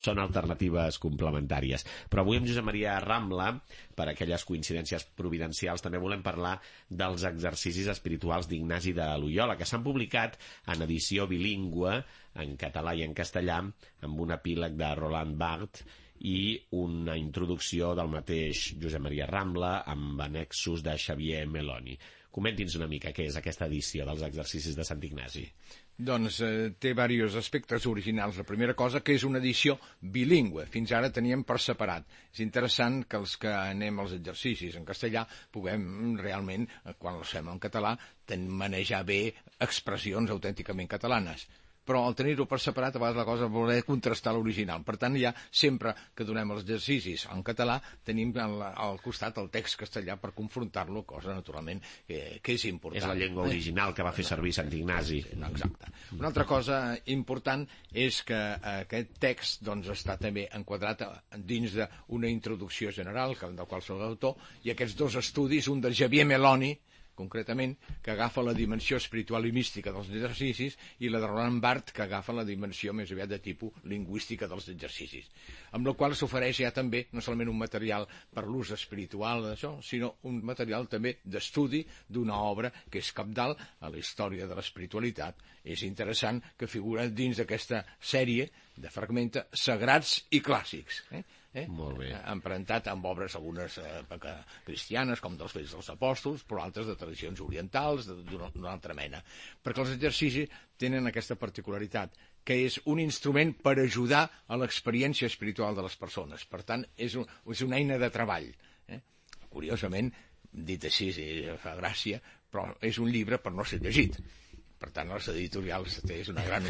són alternatives complementàries. Però avui amb Josep Maria Rambla, per aquelles coincidències providencials, també volem parlar dels exercicis espirituals d'Ignasi de Loiola, que s'han publicat en edició bilingüe, en català i en castellà, amb un epíleg de Roland Barthes i una introducció del mateix Josep Maria Rambla amb annexos de Xavier Meloni. Comenti'ns una mica què és aquesta edició dels exercicis de Sant Ignasi. Doncs té diversos aspectes originals. La primera cosa, que és una edició bilingüe. Fins ara teníem per separat. És interessant que els que anem als exercicis en castellà puguem realment, quan els fem en català, manejar bé expressions autènticament catalanes. Però al tenir-ho per separat, a vegades la cosa voler contrastar l'original. Per tant, ja sempre que donem els exercicis en català, tenim al costat el text castellà per confrontar-lo, cosa, naturalment, que és important. És la llengua original que va fer servir Sant Ignasi. Exacte. Una altra cosa important és que aquest text està també enquadrat dins d'una introducció general del qual soc l'autor, i aquests dos estudis, un de Xavier Meloni, concretament, que agafa la dimensió espiritual i mística dels exercicis, i la de Roland Barthes, que agafa la dimensió més aviat de tipus lingüística dels exercicis. Amb la qual s'ofereix ja també no solament un material per l'ús espiritual d'això, sinó un material també d'estudi d'una obra que és cabdal a la història de l'espiritualitat. És interessant que figura dins d'aquesta sèrie de fragments sagrats i clàssics, Molt bé. emparentat amb obres algunes cristianes, com dels Fets dels Apòstols, però altres de tradicions orientals, d'una altra mena. Perquè els exercicis tenen aquesta particularitat, que és un instrument per ajudar a l'experiència espiritual de les persones. Per tant, és una eina de treball. Curiosament, dit així, fa gràcia, però és un llibre per no ser llegit. Per tant, les editorials és una gran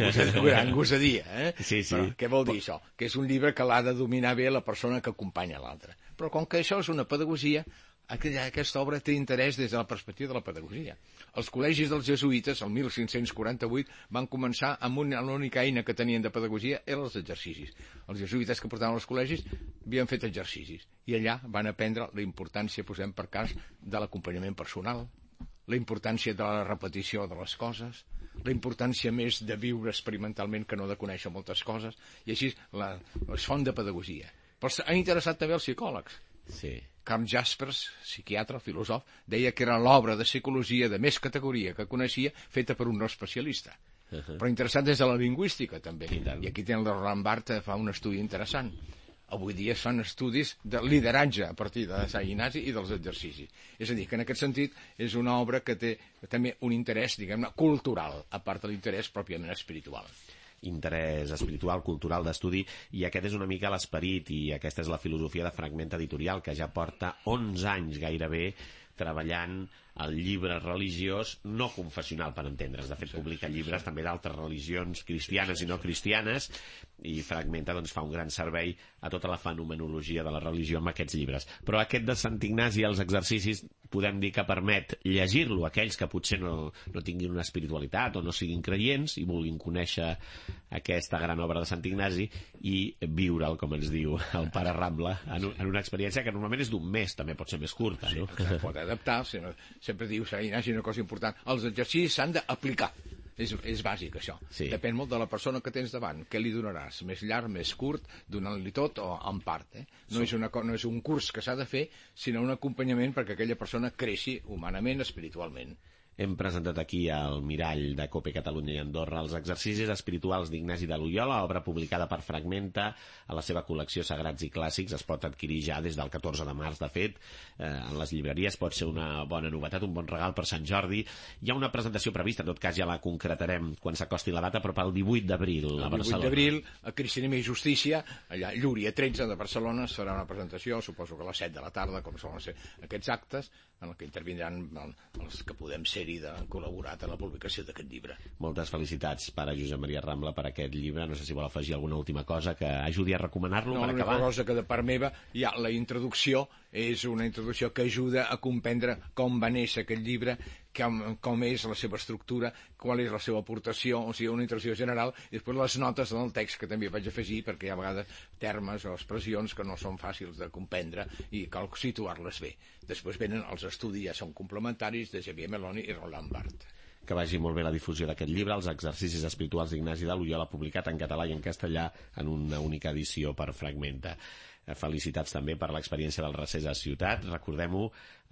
gosadia. Sí. Però, què vol dir això? Que és un llibre que l'ha de dominar bé la persona que acompanya l'altre. Però com que això és una pedagogia, aquesta obra té interès des de la perspectiva de la pedagogia. Els col·legis dels jesuïtes, el 1548, van començar amb l'única eina que tenien de pedagogia eren els exercicis. Els jesuïtes que portaven als col·legis havien fet exercicis, i allà van aprendre la importància, posem per cas, de l'acompanyament personal, la importància de la repetició de les coses, la importància més de viure experimentalment que no de conèixer moltes coses, i així és font de pedagogia. Però ha interessat també els psicòlegs. Sí. Carl Jaspers, psiquiatre, filòsof, deia que era l'obra de psicologia de més categoria que coneixia, feta per un no especialista. Però interessant des de la lingüística, també. I aquí tenen el Roland Barthes, fa un estudi interessant. Avui dia es fan estudis de lideratge a partir de Sant Ignasi i dels exercicis. És a dir, que en aquest sentit és una obra que té també un interès, diguem-ne, cultural, a part de l'interès pròpiament espiritual. Interès espiritual, cultural, d'estudi, i aquest és una mica l'esperit, i aquesta és la filosofia de Fragment Editorial, que ja porta 11 anys gairebé treballant el llibre religiós no confessional, per entendre's. De fet, publica llibres també d'altres religions cristianes i no cristianes, i Fragmenta fa un gran servei a tota la fenomenologia de la religió amb aquests llibres. Però aquest de Sant Ignasi, els exercicis, podem dir que permet llegir-lo a aquells que potser no tinguin una espiritualitat o no siguin creients i vulguin conèixer aquesta gran obra de Sant Ignasi i viure'l, com ens diu el pare Rambla, en una experiència que normalment és d'un mes, també pot ser més curta, no? Sí, pot adaptar, sempre diu Sant Ignasi una cosa important, els exercicis s'han d'aplicar. És bàsic, això. Sí. Depèn molt de la persona que tens davant. Què li donaràs? Més llarg, més curt, donant-li tot o en part? No és un curs que s'ha de fer, sinó un acompanyament perquè aquella persona creixi humanament, espiritualment. Hem presentat aquí al Mirall de COPE Catalunya i Andorra els exercicis espirituals d'Ignasi de Loiola, obra publicada per Fragmenta a la seva col·lecció Sagrats i Clàssics. Es pot adquirir ja des del 14 de març, de fet, en les llibreries. Pot ser una bona novetat, un bon regal per Sant Jordi. Hi ha una presentació prevista, en tot cas ja la concretarem quan s'acosti la data, però pel 18 d'abril a Barcelona. El 18 d'abril, a Cristianisme i Justícia, allà a Llúria 13 de Barcelona, es farà una presentació, suposo que a les 7 de la tarda, com solen ser aquests actes, en què intervindran els que podem ser-hi de col·laborat en la publicació d'aquest llibre. Moltes felicitats, pare Josep Maria Rambla, per aquest llibre. No sé si vol afegir alguna última cosa que ajudi a recomanar-lo per acabar. L'única cosa que de part meva hi ha la introducció, és una introducció que ajuda a comprendre com va néixer aquest llibre, com és la seva estructura, qual és la seva aportació, o sigui, una introducció general, i després les notes del text que també vaig afegir, perquè hi ha a vegades termes o expressions que no són fàcils de comprendre i cal situar-les bé. Després venen els estudis, ja són complementaris, de Xavier Meloni i Roland Barthes. que vagi molt bé la difusió d'aquest llibre, Els exercicis espirituals d'Ignasi de Loyola, publicat en català i en castellà en una única edició per Fragmenta. Felicitats també per l'experiència del Recés a Ciutat. Recordem-ho,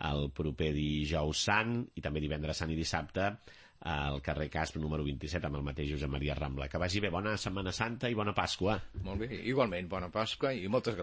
el proper dijous sant i també divendres sant i dissabte al carrer Casp número 27 amb el mateix Josep Maria Rambla. Que vagi bé, bona Setmana Santa i bona Pasqua. Molt bé, igualment, bona Pasqua i moltes gràcies.